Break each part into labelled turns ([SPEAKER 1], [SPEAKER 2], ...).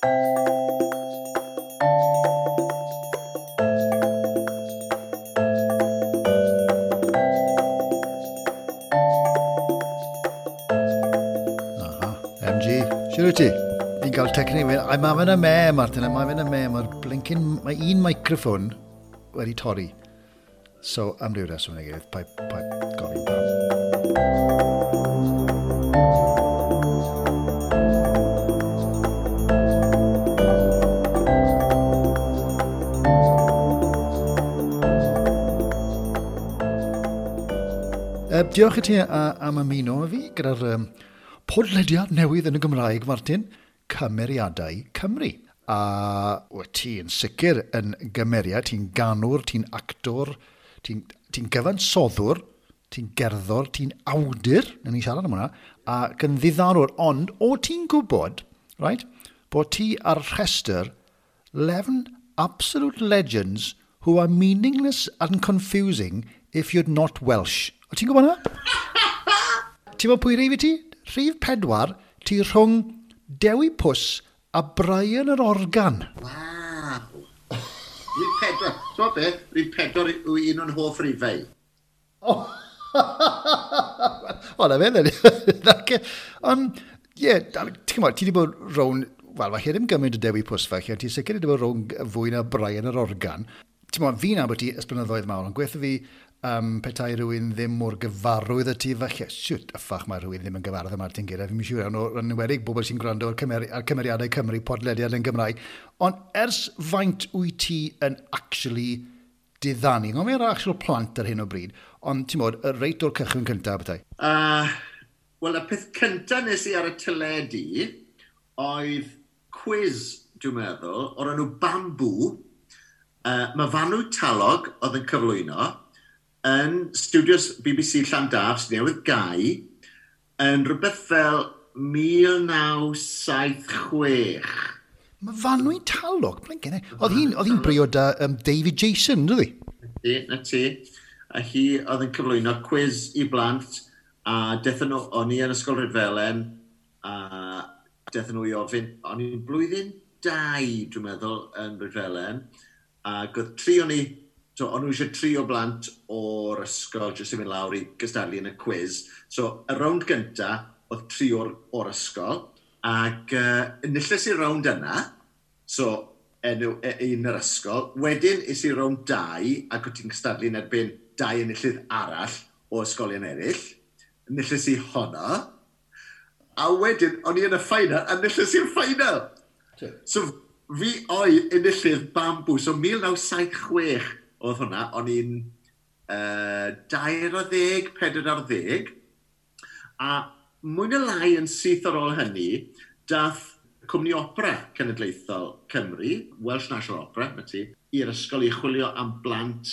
[SPEAKER 1] Aha, MG, siwr wyt ti? Fi'n cael technic, I'm having a mare, Martin, I'm having a mare. Mae'r blinking, mae un microphone wedi torri. So, am ryw reswm neu gilydd, paid, paid gofyn pam. Diolch i ti am ymuno â fi gyda'r podlediad newydd yn y Gymraeg, Martin, Cymeriadau Cymru. A wyt ti yn sicr yn gymeriad, ti'n ganwr, ti'n actor, ti'n ti gyfansoddwr, ti'n gerddor, ti'n awdur, nawn ni siarad am hwnna, ac yn ddiddanwr, ond o ti'n gwybod, right, bod ti ar rhestr 11 absolute legends who are meaningless and confusing if you're not Welsh. O ti'n gwybod hwnna? Ti'n gwybod pwy rif i ti? Rhif 4, ti rhwng Dewi Pws a Brian yr Organ.
[SPEAKER 2] Waw! Rhif 4. Ti'n beth? Rhif 4 yw un o'n hoff rifau.
[SPEAKER 1] O, o na fe, then. Ond, ie, ti'n gwybod, ti wedi bod rown, wel, falle ddim gymaint o Dewi Pws falle, ti'n sicr wedi bod rown fwy na Brian yr Organ. Ti'n gwybod, fi'n nabod ti ers blynyddoedd mawr, ond gweithio fi petai rhywun ddim mor gyfarwydd â ti, falle, siwt, yffach mae rhywun ddim yn gyfarwydd â Martin Gera, fi'n siŵr iawn, yn enwedig bobl sy'n gwrando ar, ar Cymeriadau Cymru, podlediad yn Gymraeg. Ond ers faint wyt ti yn actually diddanu? Ngofyn ar actual plant ar hyn o bryd, ond ti'n modd, y reit o'r cychwyn cyntaf bethau.
[SPEAKER 2] Wel, y peth cyntaf nes i ar y teledu oedd quiz, dwi'n meddwl, o'r enw Bamboo. Myfanwy Talog oedd yn cyflwyno yn studios BBC Llandaf, sydd newydd gau, yn rhywbeth fel 1976.
[SPEAKER 1] Myfanwy Talog, blinkin'. Oedd hi'n briod â David Jason, dwi?
[SPEAKER 2] Ti, na ti. A hi oedd yn cyflwyno quiz i blant, a dethon nhw, o'n i yn Ysgol Rhydfelen, a dethon nhw i ofyn, o'n i'n blwyddyn 2, dwi'n meddwl, yn Rhydfelen, ac oedd tri o'n i, so o'n nhw eisiau tri o blant o'r ysgol jyst i fynd lawr i gystadlu yn y quiz. So, y rownd gynta oedd tri o'r ysgol, ac enilles i'r rownd yna, so enw un yr ysgol. Wedyn es i rownd 2, ac wyt ti'n cystadlu yn erbyn 2 enillydd arall o ysgolion eraill. Enilles i honno. A wedyn, o'n i yn y final, a enilles i'r final. So, fi oedd enillydd Bamboo. So, 1976 oedd hwnna. O'n i'n 20, 40. A mwy na lai yn syth ar ôl hynny, dath Cwmni Opera Cenedlaethol Cymru, Welsh National Opera, na ti, i'r ysgol i chwilio am blant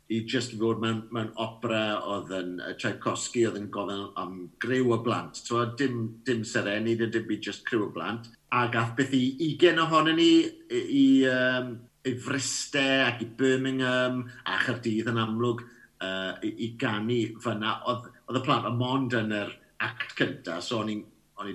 [SPEAKER 2] i just fod mewn opera oedd yn Tchaikovsky, oedd yn gofyn am griw o blant. So, dim sereni, dim byd, just criw o blant. A gath beth i 20 ohonyn ni i Fryste ac i Birmingham a Chaerdydd yn amlwg i ganu fyna. Oedd y plant yn mond yn yr act cynta, so o'n i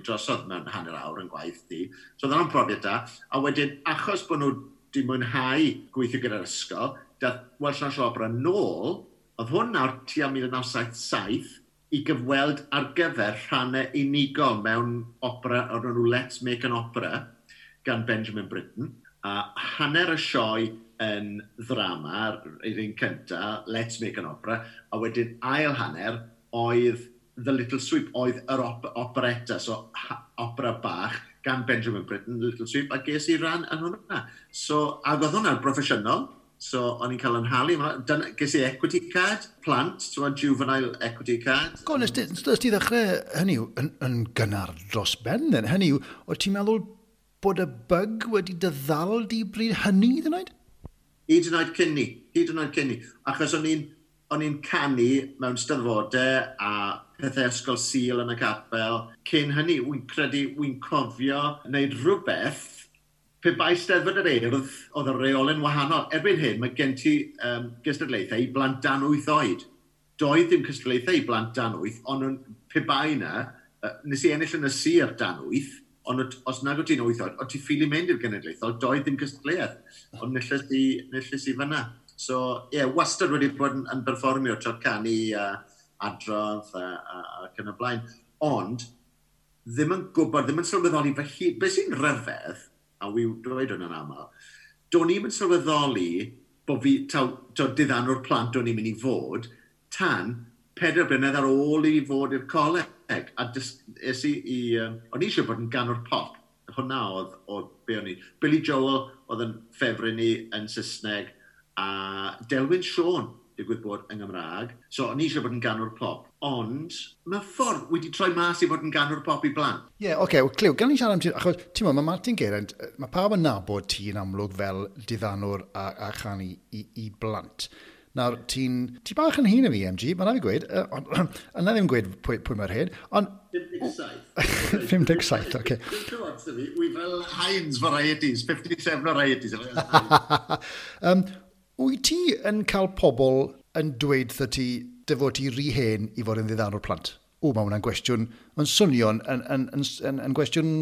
[SPEAKER 2] drosodd mewn hanner awr yn gwaith di. So oedd hwnna'n profiad da. A wedyn, achos bod nhw wedi mwynhau gweithio gyda'r ysgol, dath Welsh National Opera nôl, oedd hwn nawr tua 1977, i gyfweld ar gyfer rhannau unigol mewn opera o'r enw Let's Make an Opera gan Benjamin Britten. A hanner y sioe yn ddrama, yr un cynta, Let's Make an Opera, a wedyn ail hanner oedd The Little Sweep, oedd yr operetta, so opera bach gan Benjamin Britten, The Little Sweep, a ges i ran yn hwnna. So, ac oedd hwnna'n broffesiynol, so o'n i'n cael yn halu. Ges i equity card, plant, so juvenile equity card.
[SPEAKER 1] Go, nes ti ddechrau, hynny yw, yn gynnar dros ben, then. Hynny yw, o ti'n meddwl bod y bug wedi dy ddal di bryd hynny, hyd yn oed?
[SPEAKER 2] Hyd yn oed cyn ni, hyd yn oed cyn ni. Achos o'n i'n canu mewn steddfodau a pethau ysgol Sul yn y capel. Cyn hynny, wy'n credu, wy'n cofio wneud rhywbeth pe bai Steddfod yr Urdd, oedd y reolau'n wahanol. Erbyn hyn, mae gen ti gystadlaethau i blant dan 8 oed. Doedd dim cystadlaethau i blant dan 8, ond pe bai na, nes i ennill yn y sir dan 8, Ond os nag o ti'n 8 oed, o ti ffili mynd i'r genedlaethol, doedd ddim cystadleuaeth. Ond nilles i, nilles i fyna. So, ie, yeah, wastad wedi bod yn perfformio tra canu a adrodd ac yn y blaen. Ond, ddim yn gwybod, ddim yn sylweddoli fy hun. Be sy'n rhyfedd, a wi dweud hwn yn aml, do'n i'm yn sylweddoli bod fi, taw, taw diddanwr plant o'n i'n mynd i fod, tan 4 blynedd ar ôl i fod i'r coleg. A es i, o'n i eisiau bod yn ganwr pop. Hwna oedd be o'n i. Billy Joel oedd yn ffefryn i yn Saesneg, a Delwyn Siôn, digwydd bod yn Gymraeg. So, o'n i eisiau bod yn ganwr pop. Ond, mewn ffordd wedi troi mas i fod yn ganwr pop i blant.
[SPEAKER 1] Ie, yeah, oce, okay, well, Cliw, gan i siarad am ti, achos ti'n meddwl, mae Martin Geraint, mae pawb yn nabod ti'n amlwg fel diddanwr a chanu i blant. Nawr, ti bach yn hŷn na fi, MG, mae'n rhaid i gweud, yna ddim gweud pwy mae'r hyn, ond
[SPEAKER 2] 57.
[SPEAKER 1] 57, oce.
[SPEAKER 2] Okay. Wi fel Heinz Varieties, 57 Varieties.
[SPEAKER 1] Wyt ti yn cael pobl yn dweud wrtho ti dy fod ti rhy hen i fod yn ddiddanwr plant? O, mae hwnna'n gwestiwn, mae'n swnio'n yn gwestiwn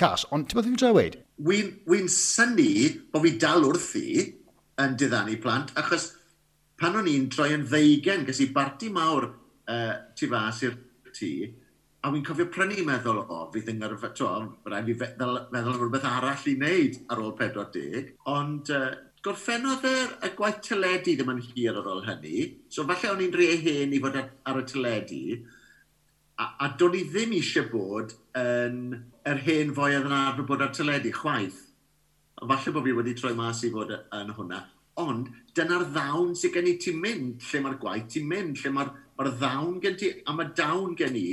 [SPEAKER 1] cas, ond ti'n meddwl fi'n trio weud?
[SPEAKER 2] Wy'n synnu bod fi dal wrthi yn diddanu plant, achos pan o'n i'n troi yn 20, ges i barti mawr tu fas i'r tŷ, a wy'n cofio prynu meddwl, o, fydd yn ngyrfa, to, rhaid fi feddwl am rhywbeth arall i wneud ar ôl 40, ond gorffennodd y gwaith teledu ddim yn hir ar ôl hynny, so falle o'n i'n rhy hen i fod ar y teledu, a do'n i ddim eisiau bod yn yr hen foi oedd yn arfer bod ar teledu, chwaith. A falle bod fi wedi troi mas i fod yn hwnna. Ond dyna'r ddawn sydd gen i, ti'n mynd lle mae'r gwaith, ti'n mynd lle mae'r ddawn gen ti, a mae dawn gen i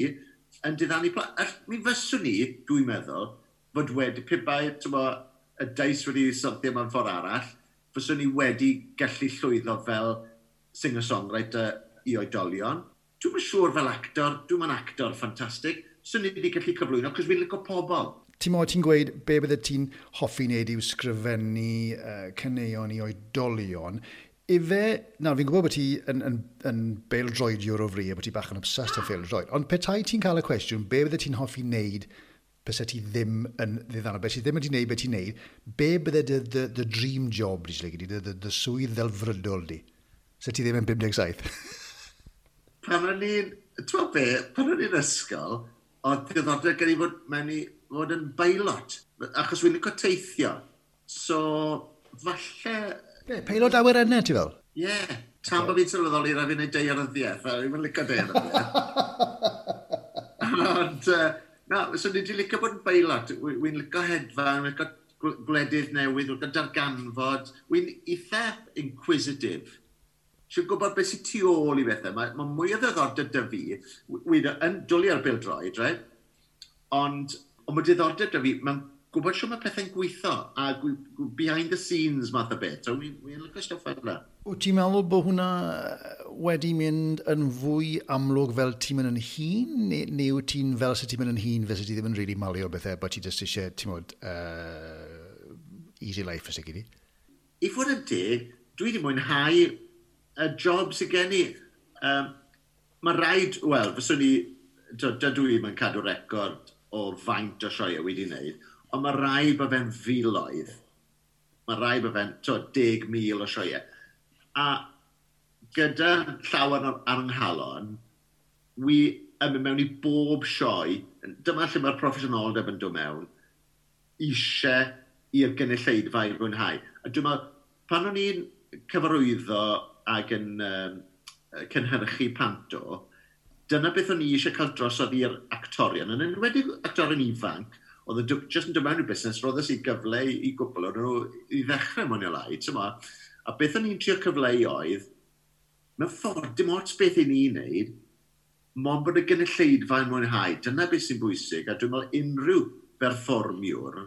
[SPEAKER 2] yn diddanu plant. Mi fyswn i, dwi'n meddwl, fod wedi, pe bai, t'mo, y dice wedi syrthio mewn ffordd arall, fyswn i wedi gallu llwyddo fel singer-songwriter i oedolion. Dwi'm yn siŵr fel actor, dwi'm yn actor ffantastig, swn i wedi gallu cyflwyno, cos fi'n licio pobl.
[SPEAKER 1] Ti'n mo, ti'n gweud be bydde ti'n hoffi wneud yw sgrifennu caneuon i oedolion. Ife, nawr fi'n gwybod bod ti yn bêl-droediwr o fri a bod ti bach yn obsessed â phêl-droed, ond petai ti'n cael y cwestiwn, be bydde ti'n hoffi wneud byse ti ddim yn ddiddanwr, be ti ddim wedi wneud beth ti'n wneud, be bydde dy dream job di, di, dy swydd ddelfrydol di? Se ti ddim yn 57?
[SPEAKER 2] Pan o'n i'n, ti'n be, pan o'n i'n ysgol, oedd diddordeb gen i fod mewn i fod yn beilot, achos wy'n licio teithio. So, falle.
[SPEAKER 1] Be, peilot awyrennau ti fel?
[SPEAKER 2] Ie, yeah, tan bod fi'n sylweddoli rhaid fi'n neud daearyddiaeth, a fi'n licio daearyddiaeth. Ond, na, so ni wedi licio bod yn beilot. Wy'n licio hedfan, wy'n licio gwledydd newydd, wy'n licio darganfod. Wy'n eitha inquisitive. Si'n gwybod beth sy'n tu ôl i bethau. Mae mwy o ddiddordeb 'da fi. Wy'n yn dwlu ar bêl-droed, right? Ond mae diddordeb 'da fi mewn gwybod shwt mae pethau'n gweithio a behind the scenes math o beth. So wy'n licio stwff fel yna.
[SPEAKER 1] Wyt ti'n meddwl bod hwnna wedi mynd yn fwy amlwg fel ti'n mynd yn hŷn, neu wyt ti'n fel sydd ti'n mynd yn hŷn, fel sydd ti ddim yn really malio bethau, bod ti jyst eisiau, ti'n modd, easy life ys i?
[SPEAKER 2] I fod yn deg, dwi wedi mwynhau y job sydd gen i. Mae rhaid, wel, fyswn i, dydw i'm yn cadw record o faint o sioeau wedi wneud, ond mae rhaid bod fe'n filoedd. Mae rhaid bod fe'n, 10,000 o sioeau. A gyda llawer ar yng nghalon, wi yn mynd mewn i bob sioe, dyma lle mae'r proffesiynoldeb yn dod mewn, eisiau i'r gynulleidfa i fwynhau. A dwi'n meddwl, pan o'n i'n cyfarwyddo ac yn cynhyrchu panto, dyna beth o'n i eisiau cael drosodd i'r actorion. Yn enwedig actorion ifanc, oedd yn just yn dod mewn i'r busnes, roddes i gyfle i gwbl o'n nhw i ddechrau mwy neu lai, ti'n mo. A beth o'n i'n trio cyfleu oedd, mewn ffordd, dim ots beth i ni'n neud, mond bod y gynulleidfa yn mwynhau. Dyna beth sy'n bwysig, a dwi'n meddwl unrhyw berfformiwr,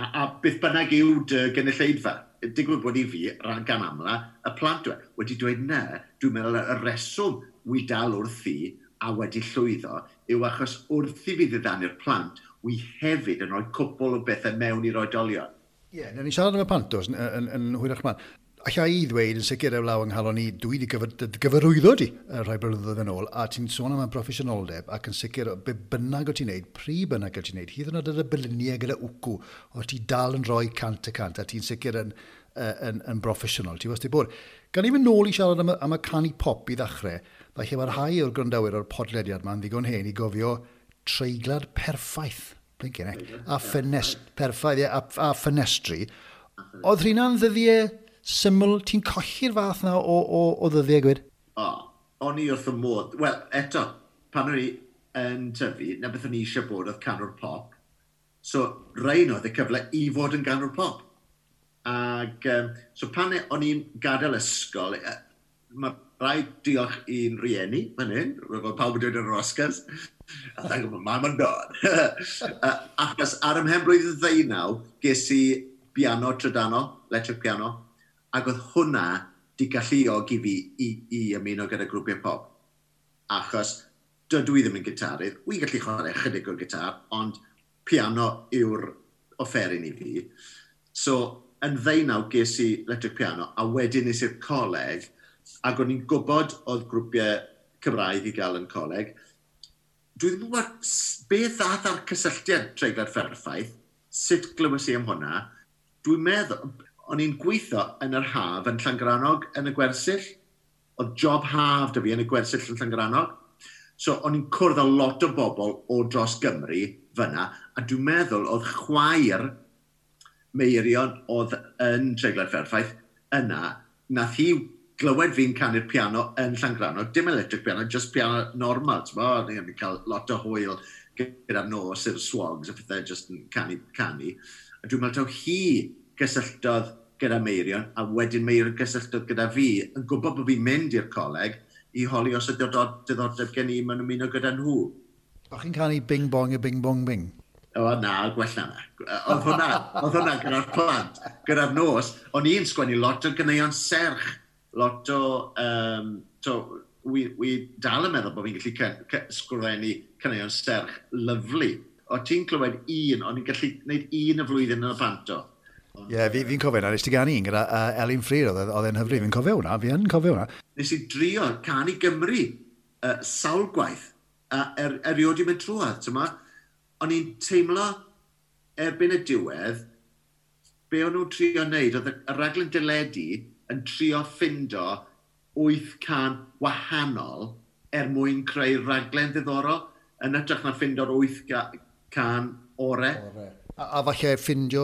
[SPEAKER 2] a beth bynnag yw dy gynulleidfa, digwydd bod i fi, ran gan amla, y plant dwi, wedi dweud na, dwi'n meddwl y reswm wi dal wrthi a wedi llwyddo yw achos wrth i fi ddiddanu'r plant, wi hefyd yn rhoi cwpl o bethau mewn i'r oedolion.
[SPEAKER 1] Ie, yeah, ni siarad am y pantos yn hwyrach mlaen. Alla i ddweud yn sicr ewlaw yng nghalon i, dwi wedi gyfarwyddo di rhai blynyddoedd yn ôl, a ti'n sôn am y proffesiynoldeb, ac yn sicr, be bynnag o ti'n neud, pryd bynnag o ti'n neud, hyd yn oed ar y byluniau gyda wcw, o ti dal yn rhoi 100%, a ti'n sicr yn broffesiynol, ti wastad bod. Gan i fynd nôl i siarad am y canu pop i ddechrau, falle mae rhai o'r gwrandawyr o'r podlediad ma'n ddigon hen i gofio treiglad perffaith, blincin ec, a ffenest, perffaith, ie, a ffenestri. Oedd rhywna'n ddyddiau syml, ti'n colli'r fath na o ddyddiau gwyd?
[SPEAKER 2] O, o'n i wrth y modd. Wel, eto, pan o'n i yn tyfu, na beth o'n i eisiau bod oedd canwr pop. So, rhain oedd y cyfle i fod yn ganwr pop. Ac, so pan o'n i'n gadael ysgol, mae rhaid diolch i'n rieni, fan hyn, fel pawb yn dweud yn yr Oscars, a thank my mam and dad. Achos ar ymhen blwyddyn 19, ges i piano trydanol, electric piano, ac oedd hwnna di galluogi fi i ymuno gyda grwpiau pop. Achos dydw i ddim yn gitarydd, wy'n gallu chwarae chydig o'r gitar, ond piano yw'r offeryn i fi. So, yn 19 ges i electric piano, a wedyn nes i'r coleg, ac o'n i'n gwybod oedd grwpiau Cymraeg i gael yn coleg. Dwi ddim yn gwybod beth ddath ar cysylltiad Treiglad Perffaith, sut glywes i am hwnna. Dwi'n meddwl, o'n i'n gweithio yn yr haf yn Llangrannog yn y gwersyll. Oedd job haf da fi yn y gwersyll yn Llangrannog. So o'n i'n cwrdd â lot o bobl o dros Gymru fyna, a dwi'n meddwl oedd chwaer Meirion oedd yn Treiglad Perffaith yna, nath hi glywed fi'n canu'r piano yn Llangrannog, dim electric piano, just piano normal, ti'n bo? O'n i'n cael lot o hwyl gyda'r nos i'r swogs a pethau just yn canu. A dwi'n meddwl taw hi gysylltodd gyda Meirion, a wedyn Meirion gysylltodd gyda fi, yn gwybod bod fi'n mynd i'r coleg, i holi os ydy diddordeb gen i mewn ymuno gyda nhw.
[SPEAKER 1] O'ch chi'n canu bing bong a bing bong bing?
[SPEAKER 2] O na, gwella na. Oedd hwnna gyda'r plant, gyda'r nos. O'n i'n sgwennu lot o ganeuon serch, lot o... wi dal yn meddwl bod fi'n gallu sgwennu caneuon serch lyfli. O ti'n clywed un, o'n i'n gallu gwneud un y flwyddyn yn y panto.
[SPEAKER 1] Ie, yeah, fi'n cofio hwnna, nes ti ganu un gyda Elin Fflur, oedd e'n hyfryd, fi'n cofio hwnna, fi yn cofio hwnna.
[SPEAKER 2] Nes i drio canu Gymru sawl gwaith, erioed i mynd trwodd, ti'n ma? O'n i'n teimlo erbyn y diwedd, be o'n nhw'n trio wneud, oedd y raglen deledu yn trio ffindo 8 can wahanol er mwyn creu raglen ddiddorol, yn hytrach na ffindo'r 8 can ore.
[SPEAKER 1] A falle ffindio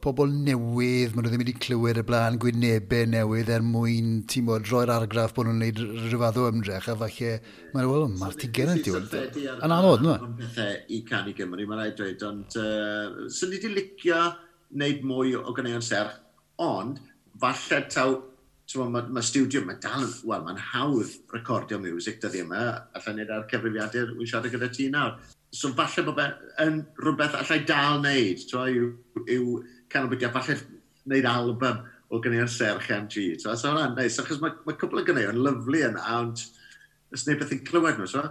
[SPEAKER 1] pobl newydd, maen nhw ddim wedi clywed y blaen, gwynebau newydd er mwyn, ti'n bod, roi'r argraff bod nhw'n gwneud rhyw fath o ymdrech, a falle, mae'n wel, Martin Geraint yw. Yn anodd, nhw?
[SPEAKER 2] Pethau i Canu Gymru, mae'n rhaid dweud, ond swn i wedi licio wneud mwy o ganeuon serch, ond falle taw, mae studio, mae dal, wel, mae'n hawdd recordio music dyddi yma, allai wneud ar cyfrifiadur, wy'n siarad gyda ti nawr. So falle bod yn rhywbeth allai dal wneud, yw canolbwyntio, falle wneud album o ganeuon serch MG. So hwnna'n neis, achos mae cwpl o ganeuon lyfli yna, ond ys neb beth yn clywed nhw, so?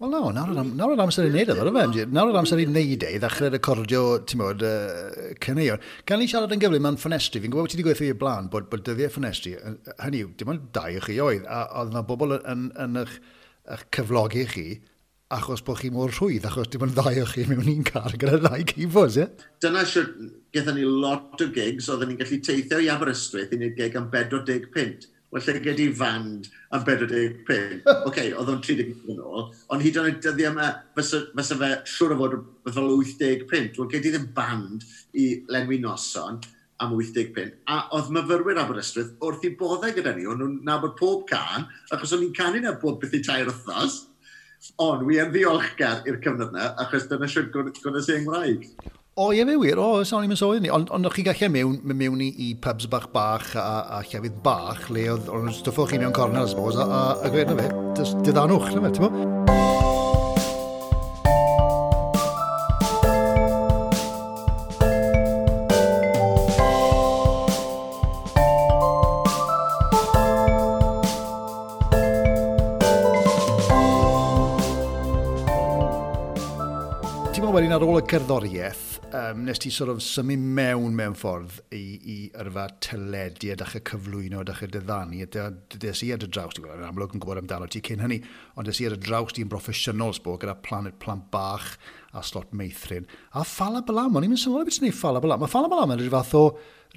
[SPEAKER 1] Wel no, nawr yr amser i wneud e, MG. Nawr yr amser i wneud e, i ddechrau recordio, ti'n bod, caneuon. Gan i siarad yn gyflym am ffenestri, fi'n gwybod bod ti wedi gweithio i'r blaen bod dyddiau ffenestri, hynny yw, dim ond dau o chi oedd, a oedd yna bobl yn eich cyflogi chi, achos bod chi mor rhwydd, achos dim ond ddau o chi mewn un car gyda ddau keyboards, ie?
[SPEAKER 2] Dyna siwr, gaethon ni lot o gigs, oedden ni'n gallu teithio i Aberystwyth i wneud gig am 45 punt. Wel, lle gedi fand am 45 punt. Oce, oedd o'n 30 yn ôl, ond hyd yn oed dyddiau yma, fysa fe siŵr o fod fel 80 punt. Wel, gedi ddim band i lenwi noson am 80 punt. A oedd myfyrwyr Aberystwyth wrth i boddau gyda ni, o'n nhw'n nabod pob can, achos o'n i'n canu na bob beth i tair wythnos. Ond wi yn ddiolchgar i'r cyfnod yna, achos dyna siwr gwnes i Nghymraeg.
[SPEAKER 1] O, ie, fe wir, o, sa'n i'n sôn ni. Ond o'ch chi gallu mewn i pubs bach bach a llefydd bach, le oedd o'n stwffo chi mewn cornel, I suppose, a gweud na fe, diddanwch, na fe, ti'n bo? Wedyn ar ôl y cerddoriaeth, nes ti sort of symud mewn ffordd i yrfa teledu a dechrau cyflwyno a dechrau diddanu. Des i ar dy draws, ti'n gwybod, yn amlwg yn gwybod amdano ti cyn hynny, ond des i ar dy draws ti'n broffesiynol, sbo, gyda Planet Plant Bach a Slot Meithrin. A Ffala Balam, o'n i'n mynd sylweddoli beth ti'n neud Ffala Balam. Mae Ffala Balam yn rhyw fath o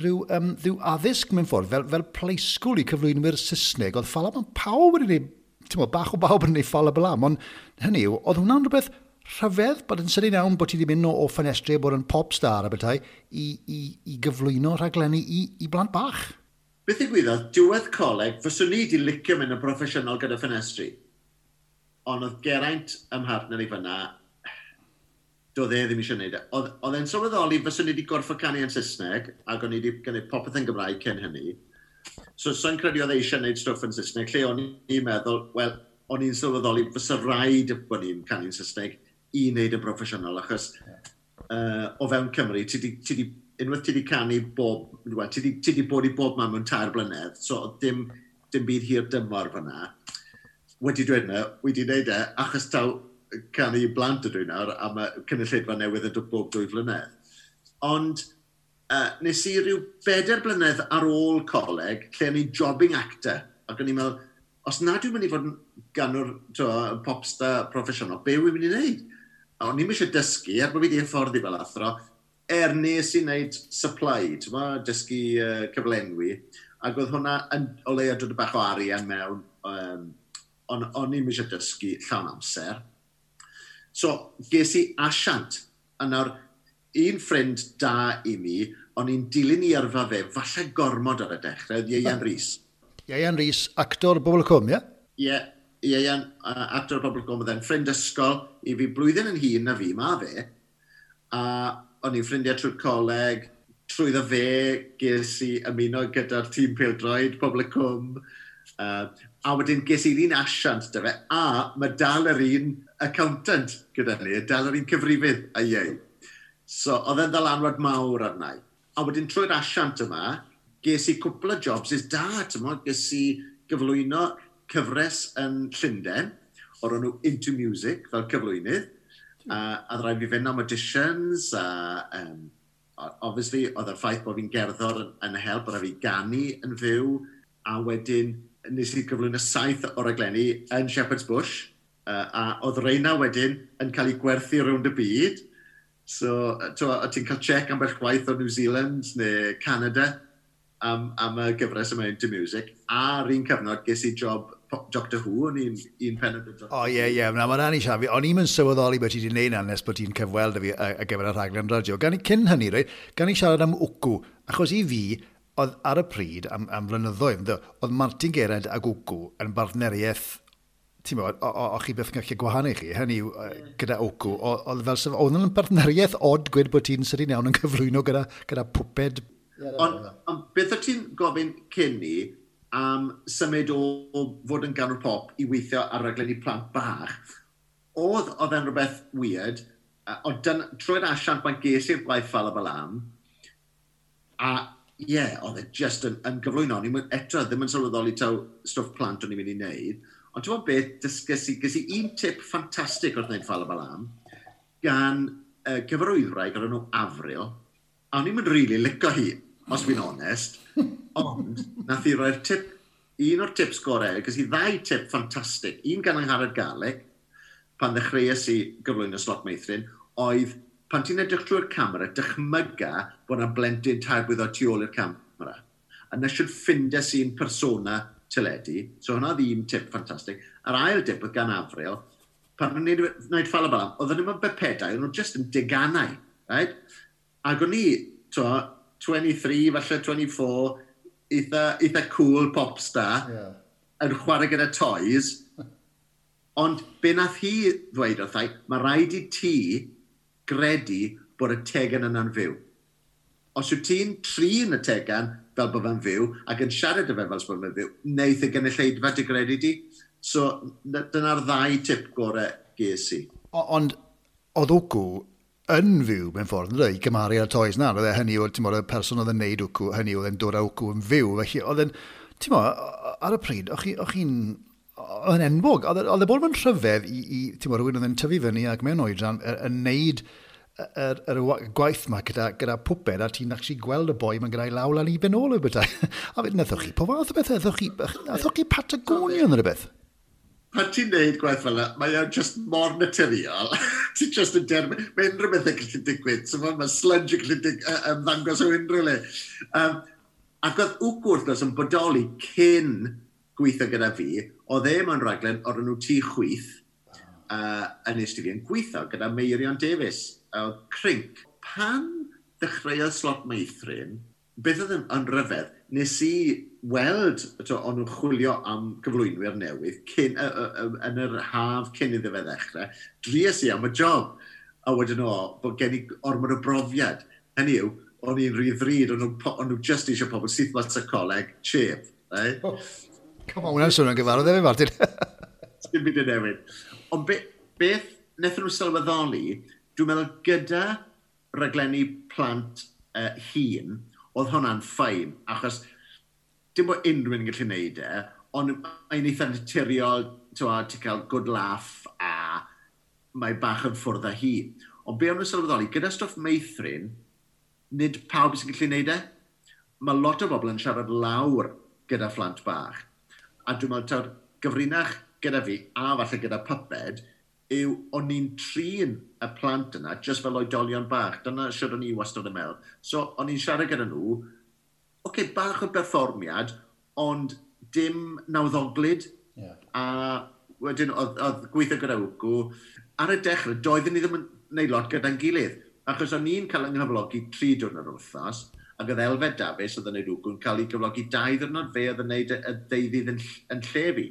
[SPEAKER 1] rhyw addysg mewn ffordd, fel play school i cyflwynwyr Saesneg. Oedd Ffala Balam, pawb wedi gwneud, ti'n gwybod, bach o bawb yn gwneud Ffala Balam, ond hynny yw, oedd hwnna'n rhywbeth rhyfedd bod yn sydyn iawn bod ti wedi mynd o ffenestri a bod yn pop star a bethau i gyflwyno rhaglenni i blant bach.
[SPEAKER 2] Beth ddigwyddodd, diwedd coleg, fyswn i wedi licio mynd yn broffesiynol gyda ffenestri. Ond oedd Geraint ym mhartner i fyna, doedd e ddim eisiau gwneud e. Oedd e'n sylweddoli fyswn i wedi gorfod canu yn Saesneg, ac o'n i wedi gwneud popeth yn Gymraeg cyn hynny. So, so'n credu oedd e eisiau gwneud stwff yn Saesneg, lle o'n i'n meddwl, wel, o'n i'n sylweddoli fysa rhaid bod ni'n canu'n Saesneg i wneud yn broffesiynol, achos o fewn Cymru, unwaith ti di canu bob, well, ti di bod i bob man mewn 3 blynedd, so dim byd hir dymor fyna. Wedi dweud yna, wedi wneud e, achos taw canu i blant ydw i nawr, a mae cynulleidfa newydd yn dod bob 2 flynedd. Ond nes i ryw 4 blynedd ar ôl coleg, lle o'n i'n jobbing actor, ac o'n i'n meddwl, os nad dwi'n mynd i fod yn ganwr popstar proffesiynol, be wy'n mynd i wneud? A o'n i'm eisiau dysgu, er bod fi wedi hyfforddi fel athro, er nes i wneud supply, ti'n mo, dysgu cyflenwi, ac oedd hwnna yn o leia dod bach o arian mewn, ond o'n i'm eisiau dysgu llawn amser. So, ges i asiant, a nawr, un ffrind da i mi, o'n i'n dilyn i yrfa fe, falle gormod ar y dechrau, oedd Ieuan Rhys.
[SPEAKER 1] Ieuan Rhys, actor Bobl y Cwm, ie?
[SPEAKER 2] Ie, Ieuan, actor Bobl y Cwm, oedd e'n ffrind ysgol i fi blwyddyn yn hŷn na fi, ma fe. A o'n i'n ffrindiau trwy'r coleg, trwyddo fe, ges i ymuno gyda'r tîm pêl-droed, Pobl y Cwm. A wedyn ges i'r un asiant 'da fe, a mae dal yr un accountant gyda ni, dal yr un cyfrifydd a ieu. So, oedd e'n ddylanwad mawr arna i. A wedyn trwy'r asiant yma, ges i cwpl o jobs is da, ti'n mo, ges i gyflwyno cyfres yn Llundain, o'r enw Into Music, fel cyflwynydd, a rhaid fi fynd am auditions, a obviously, oedd y ffaith bod fi'n gerddor yn help, oedd fi ganu yn fyw, a wedyn nes i gyflwyno 7 o raglenni yn Shepherd's Bush, a oedd reina wedyn yn cael ei gwerthu rownd y byd. So, ti'n cael check ambell gwaith o New Zealand neu Canada am y gyfres yma Into Music. A'r un cyfnod ges i job Doctor Who, o'n i'n un pennod o Doctor
[SPEAKER 1] Who. O, ie, ie, na, mae'n rhan i siarad fi. O'n i'n sylweddoli beth ti wedi gwneud na nes bod ti'n cyfweld â fi ar gyfer y rhaglen radio. Gan i, cyn hynny, reit, gan i siarad am Wcw, achos i fi, oedd ar y pryd, am flynyddoedd, oedd Martin Geraint ac Wcw yn bartneriaeth, ti'n meddwl, o chi beth yn gallu gwahanu chi, hynny yw, gyda Wcw, oedd fel sef, oedd yn bartneriaeth od gwed bod ti'n sydyn iawn yn cyflwyno gyda pwped.
[SPEAKER 2] Ond beth o ti'n gofyn cyn ni am symud o fod yn ganwr pop i weithio ar raglenni plant bach, oedd e'n rhywbeth weird, ond trwy'r asiant mae'n ges i'r gwaith Ffala Balam, a ie, oedd e just yn gyflwyno. O'n i'n eto ddim yn sylweddoli taw stwff plant o'n i'n mynd i wneud, ond ti'n gwybod beth, dysges i, ges i un tip ffantastig wrth wneud Ffala Balam, gan gyfarwyddwraig o'r enw Avril, a o'n i'n mynd rili licio hi, os fi'n onest, ond nath i roi'r tip, un o'r tips gorau, ges i ddau tip ffantastig, un gan Angharad Garlick, pan ddechreuais i gyflwyno Slot Meithrin, oedd pan ti'n edrych trwy'r camera, dychmyga bod yna blentyn 3 blwydd oed tu ôl i'r camera. A na siwt ffindes i'n persona teledu, so hwnna oedd un tip ffantastig. A'r ail tip oedd gan Avril, pan o'n i'n gwneud Ffala Balam, oedden nhw'n bypedau, o'n nhw just yn deganau, right? Ac o'n i, 23, falle 24, eitha cool pop star, yn chwarae gyda toys. Ond be nath hi ddweud wrthai, mae rhaid i ti gredu bod y tegan yna'n fyw. Os wyt ti'n trin y tegan fel bod fe'n fyw ac yn siarad â fe fel bod fe'n fyw, wneith y gynulleidfa dy gredu di. So, dyna'r ddau tip gorau ges i.
[SPEAKER 1] Ond oedd Wcw yn fyw mewn ffordd, yn dweud, i gymharu â'r toys na, oedd e hynny, ti'n bod, y person oedd yn neud Wcw, hynny oedd yn dod â Wcw yn fyw, felly oedd yn, ti'n bod, ar y pryd, o'ch chi'n, oedd yn enwog, oedd e bod yn rhyfedd i ti'n bod, rhywun oedd yn tyfu fyny ac mewn oedran yn neud yr gwaith yma gyda pwped a ti'n actually gweld y boi mae'n gyda'i law lan i ben ôl o bethau. A fe, nathoch chi, po fath o beth, nathoch chi Patagonia neu rhywbeth?
[SPEAKER 2] Pan ti'n neud gwaith fel yna, mae o'n just mor naturiol. Ti'n just yn derbyn, mae unrhyw beth yn gallu digwydd. So mae sludge yn gallu ymddangos o unrhyw le. Ac oedd Wcw wrth gwrs yn bodoli cyn gweithio gyda fi, oedd e mewn raglen o'r enw Tŷ Chwith, yn eistedd fi yn gweithio gyda Meirion Davies, oedd Crinc. Pan ddechreuodd Slot Meithrin, beth oedd yn rhyfedd, nes i weld, to, o'n nhw'n chwilio am gyflwynwyr newydd cyn, yn yr haf cyn iddo fe ddechrau, dries i am y job. A wedyn o, bod gen i ormod o brofiad. Hynny yw, o'n i'n rhy ddrud, o'n nhw just eisiau pobl syth mas y coleg, cheap. Right?
[SPEAKER 1] Oh, come on, hwnna'n swnio'n gyfarwydd efo, Martin.
[SPEAKER 2] Dim byd yn newid. Ond beth wnaethon nhw sylweddoli, dwi'n meddwl gyda raglenni plant hŷn, oedd hwnna'n fine, achos dim bod unrhyw un yn gallu neud e, ond mae'n eitha naturiol, ti'n cael good laugh a mae bach yn ffwrdd â hi. Ond be o'n nhw'n sylweddoli, gyda stwff meithrin, nid pawb sy'n gallu neud e. Mae lot o bobl yn siarad lawr gyda phlant bach. A dwi'n meddwl, taw'r gyfrinach gyda fi, a falle gyda pupped, yw o'n i'n trin y plant yna just fel oedolion bach. Dyna siwr o'n i wastad yn meddwl. So, o'n i'n siarad gyda nhw, oce, okay, bach o berfformiad, ond dim nawddoglyd. Yeah. A wedyn, oedd gweithio gyda Wcw. Ar y dechrau, doeddwn ni ddim yn gwneud lot gyda'n gilydd. Achos o'n i'n cael yng nghyflogi 3 diwrnod yr wythnos, ac oedd Elfed Davies, oedd yn gwneud Wcw, yn cael ei gyflogi 2 diwrnod, fe oedd yn gwneud y deuddydd yn lle fi.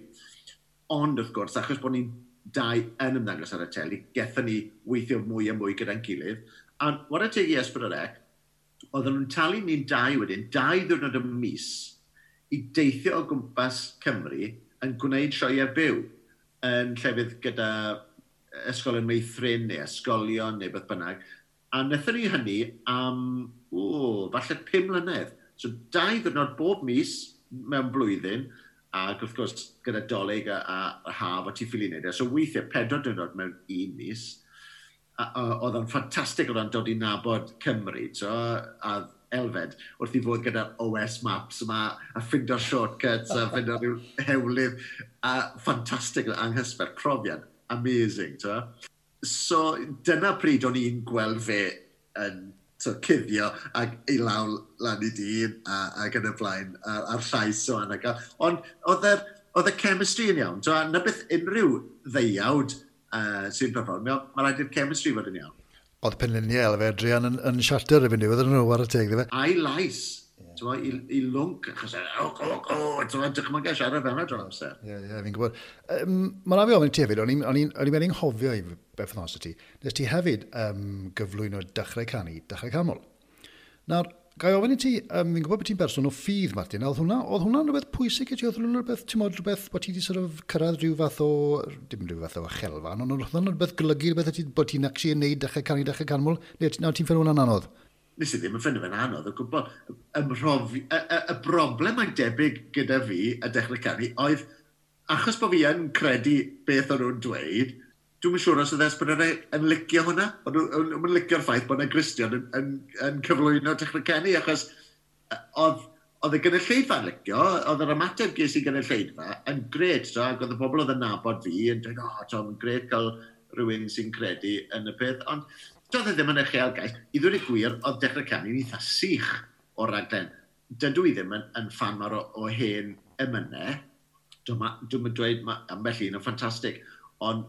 [SPEAKER 2] Ond, wrth gwrs, achos bod ni'n dau yn ymddangos ar y teli, gethon ni weithio mwy a mwy gyda'n gilydd. A whare teg i S4C, oedden nhw'n talu ni'n dau wedyn, 2 ddiwrnod y mis, i deithio o gwmpas Cymru yn gwneud sioeau byw yn llefydd gyda ysgolion meithrin neu ysgolion neu beth bynnag. A wnaethon ni hynny am, falle 5 mlynedd. So 2 ddiwrnod bob mis mewn blwyddyn, ac wrth gwrs gyda Dolig a haf o ti ffili wneud e. So weithiau 4 diwrnod mewn un mis. Oedd o'n ffantastig o ran dod i nabod Cymru, so, a Elfed wrth i fod gyda'r OS Maps yma, a ffindo'r shortcuts, a ffindo'r rhyw hewlydd, a ffantastig, anghysbell, profiad, amazing. So. So dyna pryd o'n i'n gweld fe yn cuddio ac ei law lan i dyn ac yn y blaen a'r llais o anna. Ond oedd y chemistry yn iawn. So, na beth unrhyw ddeuawd sy'n perfformio, mae rhaid i'r chemistry fod yn iawn.
[SPEAKER 1] Oedd penluniau Elfed Druan yn shatter erbyn diwedd yn nhw ar y teg, ddife?
[SPEAKER 2] A'i lais. I lwnc, achos o, dychmygu siarad fel yna drwy'r amser.
[SPEAKER 1] Ie, fi'n gwybod. Mae'n rhaid fi ofyn i ti hefyd, o'n i'n wedi anghofio i berthynas ti. Nes ti hefyd gyflwyno Dechrau Canu, Dechrau Canmol. Nawr, ga i ofyn i ti, fi'n gwybod bod ti'n berson o ffydd, Martin, oedd hwnna'n rhywbeth pwysig i ti? Oedd hwnna'n rhywbeth, ti'n modd, rhywbeth bod ti wedi sort of cyrraedd rhyw fath o, dim rhyw fath o achelfan, ond oedd hwnna'n rhywbeth golygu rhywbeth bod ti'n actually yn neud Dechrau Canu, Dechrau Canmol, neu ti'n ffeindio hwnna'n anodd?
[SPEAKER 2] Nes i ddim yn ffeindio fe'n anodd o gwbl. Y broblem mae'n debyg gyda fi a Dechrau Canu oedd, achos bod fi yn credu beth o'n nhw'n dweud, dwi'm yn siŵr os oedd S4C yn licio hwnna. O'n nhw'n licio'r ffaith bod yna Gristion yn cyflwyno Dechrau Canu, achos oedd y gynulleidfa'n licio, oedd yr ymateb ges i gynulleidfa yn grêt, so, ac oedd y bobl oedd yn nabod fi yn dweud, o, oh, mae'n grêt cael rhywun sy'n credu yn y peth, ond doedd e ddim yn uchelgais. I ddweud y gwir, oedd Dechrau Canu'n eitha sych o'r raglen. Dydw i ddim yn fan mawr o hen emynau. Dwi'm yn dweud, ma, ambell un yn ffantastig, ond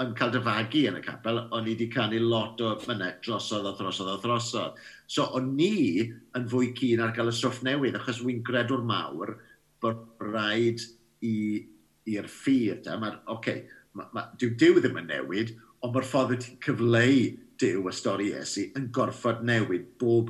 [SPEAKER 2] yn cael dy fagu yn y capel, o'n i wedi canu lot o emynau drosodd a throsodd a throsodd. So, o'n ni yn fwy keen ar gael y stwff newydd, achos wy'n gredwr mawr bod rhaid i'r ffydd. Dyw Duw ddim yn newid, ond mae'r ffordd wyt ti'n cyfleu Duw y stori Iesu yn gorfod newid bob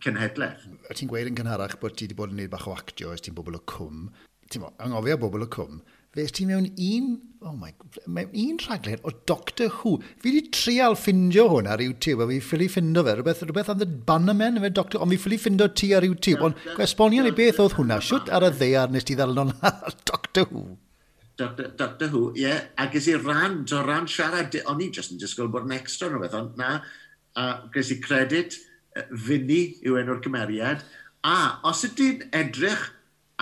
[SPEAKER 2] cenhedlaeth.
[SPEAKER 1] A ti'n gweud yn gynharach bod ti wedi bod yn gwneud bach o actio ers ti'n bobl y cwm. Ti'n anghofio bobl y cwm. Fe ti mewn mewn un rhaglen o Doctor Who. Fi wedi trial ffindio hwn ar YouTube, a fi ffili ffindo fe, rhywbeth am The Bannermen, efe Doctor, ond fi ffili ffindo ti ar YouTube. Ond esbonio ni beth oedd hwnna, siwt ar y ddaear nes ti ddal ar Doctor Who?
[SPEAKER 2] Doctor Who, ie, yeah. A ges i ran siarad, o'n i just yn disgwyl bod yn extra neu beth, ond na, A ges i credit, Finny yw enw'r cymeriad. A os ydy'n edrych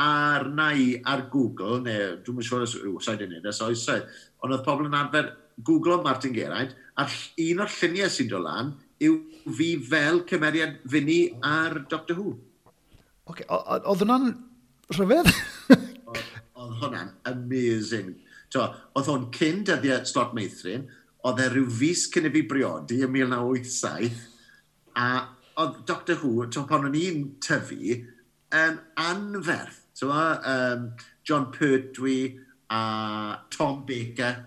[SPEAKER 2] arna i ar Google, neu dwi'n yn siŵr os sa'i wedi gwneud ers oesoedd, ond oedd pobl yn arfer Googlo Martin Geraint, a un o'r lluniau sy'n dod lan yw fi fel cymeriad Finny ar Doctor Who.
[SPEAKER 1] Okay, oedd hwnna'n rhyfedd?
[SPEAKER 2] Oedd hwnna'n amazing. To, oedd hwn cyn dyddiau Slot Meithrin, oedd e rhyw fis cyn i fi briodi yn 1987, a oedd Doctor Who, to, pan o'n i'n tyfu, yn anferth. So, Jon Pertwee a Tom Baker.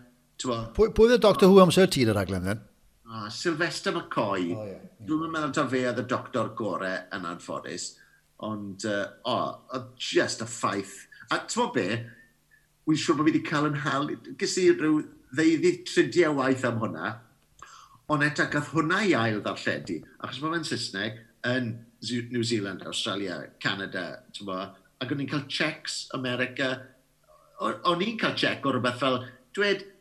[SPEAKER 1] Pwy oedd y Doctor Who amser ti yn y rhaglen, then?
[SPEAKER 2] Ah, Sylvester McCoy. Oh, yeah. Dwi'n meddwl taw fe oedd y doctor gore yn anffodus. Ond, oh, just y ffaith. A ti'n be, wy'n siŵr bod fi wedi cael yn hal. Ges i rhyw ddeuddydd tridiau waith am hwnna. Ond eto, gath hwnna i ail ddarlledu. Achos mae fe'n Saesneg yn New Zealand, Australia, Canada, ti'n bo, ac o'n i'n cael checks America. O'n i'n cael check o rhywbeth fel, dwed,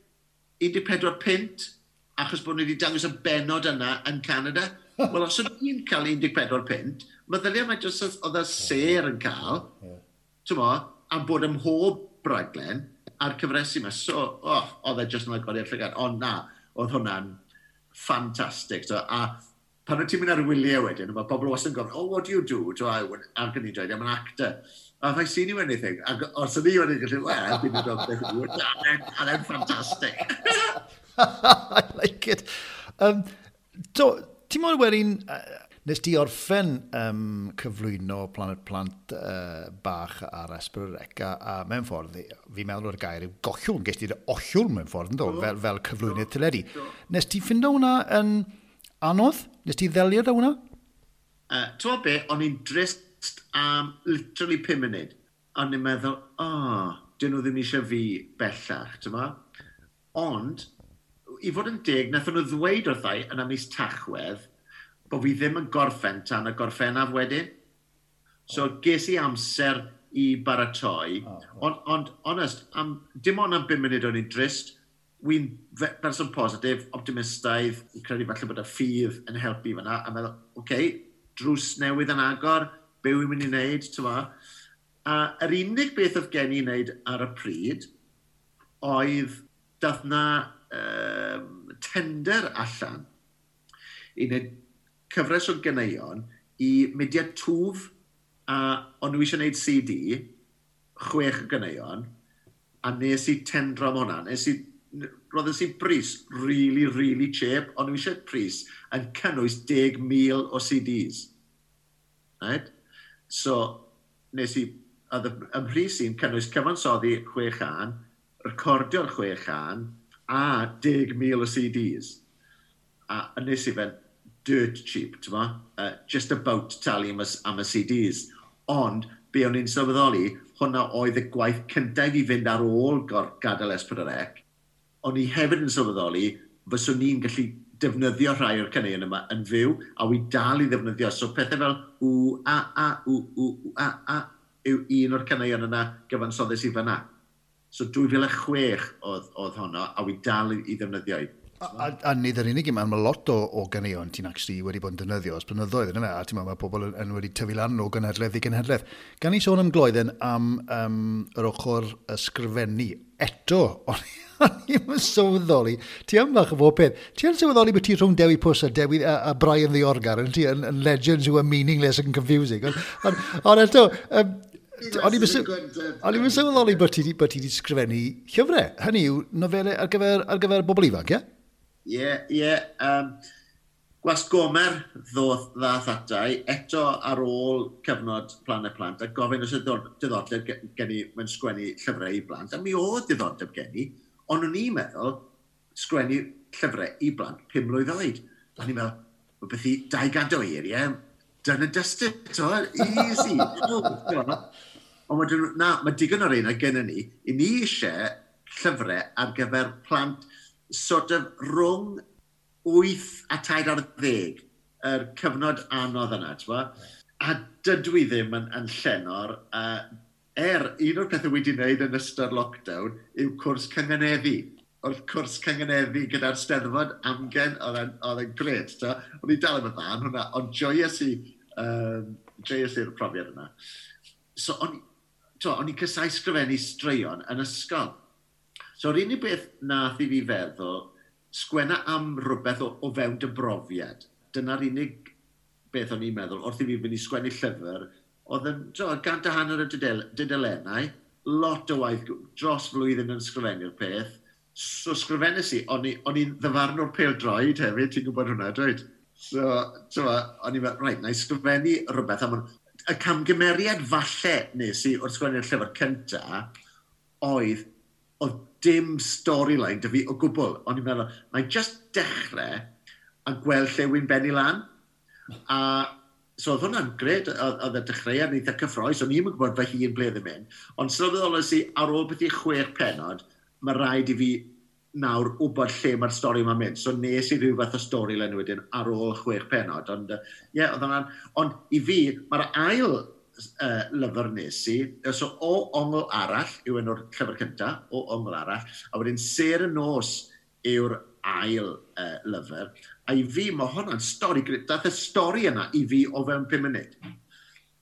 [SPEAKER 2] 14 punt, achos bod ni wedi dangos y benod yna yn Canada. Wel, os o'n i'n cael 14 punt, meddylia mae jyst oedd y ser yn cael, ti'n bo, am bod ym mhob raglen a'r cyfresu yma. So, oh, oedd e jyst yn agoriad llygad. Ond na, oedd hwnna'n ffantastig. So, a pan wyt ti'n mynd ar wyliau wedyn, mae pobl wastad yn gofyn, "Oh, what do you do?" So, ac yn i'n dweud, "I'm an actor." "Have I seen you anything?" Ac os o'n i wedi gallu, "Well, I've been a Doctor Who." And then fantastic.
[SPEAKER 1] I like it. So, ti'n modd wedyn, nes ti orffen cyflwyno Planet Plant bach ar S4C, a mewn ffordd, fi'n meddwl o'r gair yw gollwng, ges ti'r ollwng mewn ffordd, ynddo, fel cyflwynydd teledu. Nes ti ffindo hwnna yn anodd? Nes ti ddelio da hwnna?
[SPEAKER 2] Ti'n be, o'n i'n drist am literally 5 munud. O'n i'n meddwl, oh, dyn nhw ddim eisiau fi bellach, ti'n mo? Ond, i fod yn deg, nathon nhw ddweud wrthai yn am mis Tachwedd bod fi ddim yn gorffen tan y Gorffennaf wedyn. So ges i amser i baratoi, ond honest, dim ond am 5 munud o'n i'n drist. Wy'n person positif, optimistaidd, yn credu falle bod y ffydd yn helpu fyna, a meddwl, oce, okay, drws newydd yn agor, be wy'n mynd i wneud, ti'n ma? A yr unig beth oedd gen i wneud ar y pryd oedd dath na tender allan i wneud cyfres o ganeuon i Mudiad Twf, a o'n nhw eisiau gwneud CD, 6 o ganeuon, a nes i tendro am hwnna. Roddes i bris really, really cheap, ond nhw eisiau pris yn cynnwys 10,000 o CDs. Right? So, nes i, oedd y mhris i'n cynnwys cyfansoddi chwe chân, recordio'r chwe chân, a 10,000 o CDs. A nes i fe'n dirt cheap, ti'n ma? Just about talu am y CDs. Ond, be o'n i'n sylweddoli, hwnna oedd y gwaith cyntaf i fynd ar ôl gadael S4C. O'n i hefyd yn sylweddoli, fyswn i'n gallu defnyddio rhai o'r caneuon yma yn fyw, a wi dal i ddefnyddio. So pethau fel w, a, a, w, w, w, a, a, yw un o'r caneuon yna gyfansoddes i fyna. So 2006 oedd honno, a wi dal i ddefnyddio i.
[SPEAKER 1] A nid yr unig un, mae lot o ganeuon ti'n actually wedi bod yn defnyddio ers blynyddoedd, yna fe, a ti'n meddwl mae pobl yn wedi tyfu lan o gynhedledd i gynhedledd. Gan i sôn am gloedden am yr ochr ysgrifennu eto, o'n i'n sylweddoli, ti am fach o bob peth, ti yn sylweddoli bod ti rhwng Dewi Pws a, Dewi, a Brian Ddiorgar, yn ti, yn legends who are meaningless and confusing. Ond eto, o'n i'n sylweddoli bod ti wedi sgrifennu llyfrau. Hynny yw, nofelau ar gyfer bobl ifanc, ie?
[SPEAKER 2] Ie. Gwasg Gomer ddath atai, eto ar ôl cyfnod Planet Plant, a gofyn os oedd diddordeb gen i mewn sgwennu llyfrau i blant, a mi oedd diddordeb gen i, ond o'n i'n meddwl sgwennu llyfrau i blant 5 mlwydd oed. A ni'n meddwl, well, beth i 200 o eiriau, done and dusted, to, easy. Ond wedyn, na, mae digon o'r un gen ni, i ni eisiau llyfrau ar gyfer plant sort of rhwng 8 a 13, yr cyfnod anodd yna, ti'n bo? A dydw i ddim yn llenor, un o'r pethau wedi wneud yn ystod lockdown yw cwrs cynganeddu. Wrth cwrs cyngeneddu gyda'r Steddfod amgen, oedd e'n gret. O'n i dal yn dda yn hwnna, ond joies i, joies i'r profiad yna. So, o'n i'n casáu sgrifennu straeon yn ysgol. So, yr unig beth nath i fi feddwl, sgwenna am rhywbeth o fewn dy brofiad. Dyna'r unig beth o'n i'n meddwl, wrth i fi fynd i sgwennu llyfr, oedd yn 150 o dudalennau, lot o waith dros flwyddyn yn sgrifennu'r peth. So sgrifennes i, o'n i'n ddyfarnwr pêl-droed hefyd, ti'n gwybod hwnna, dweud? So, o'n i'n meddwl, reit, na i sgrifennu rhywbeth am hwn. Y camgymeriad falle nes i wrth sgwennu'r llyfr cynta oedd dim storyline 'da fi o gwbl. O'n i'n meddwl, na i just dechrau a gweld lle wy'n bennu lan. A so oedd hwnna'n gret, oedd y dechreuad yn eitha cyffroes, o'n i'n gwybod fy hun ble ddim mynd. Ond sylweddolais i ar ôl beth i 6 pennod, mae rhaid i fi nawr wybod lle mae'r stori yma'n mynd. So nes i rhyw fath o storyline wedyn ar ôl 6 pennod. Ond ie, yeah, oedd hwnna'n... Ond i fi, mae'r ail lyfr nes i, so O Ongl Arall yw enw'r llyfr cyntaf, O Ongl Arall, a wedyn Sêr y Nos yw'r ail lyfr. A i fi, mae hwnna'n stori, dath y stori yna i fi o fewn 5 munud.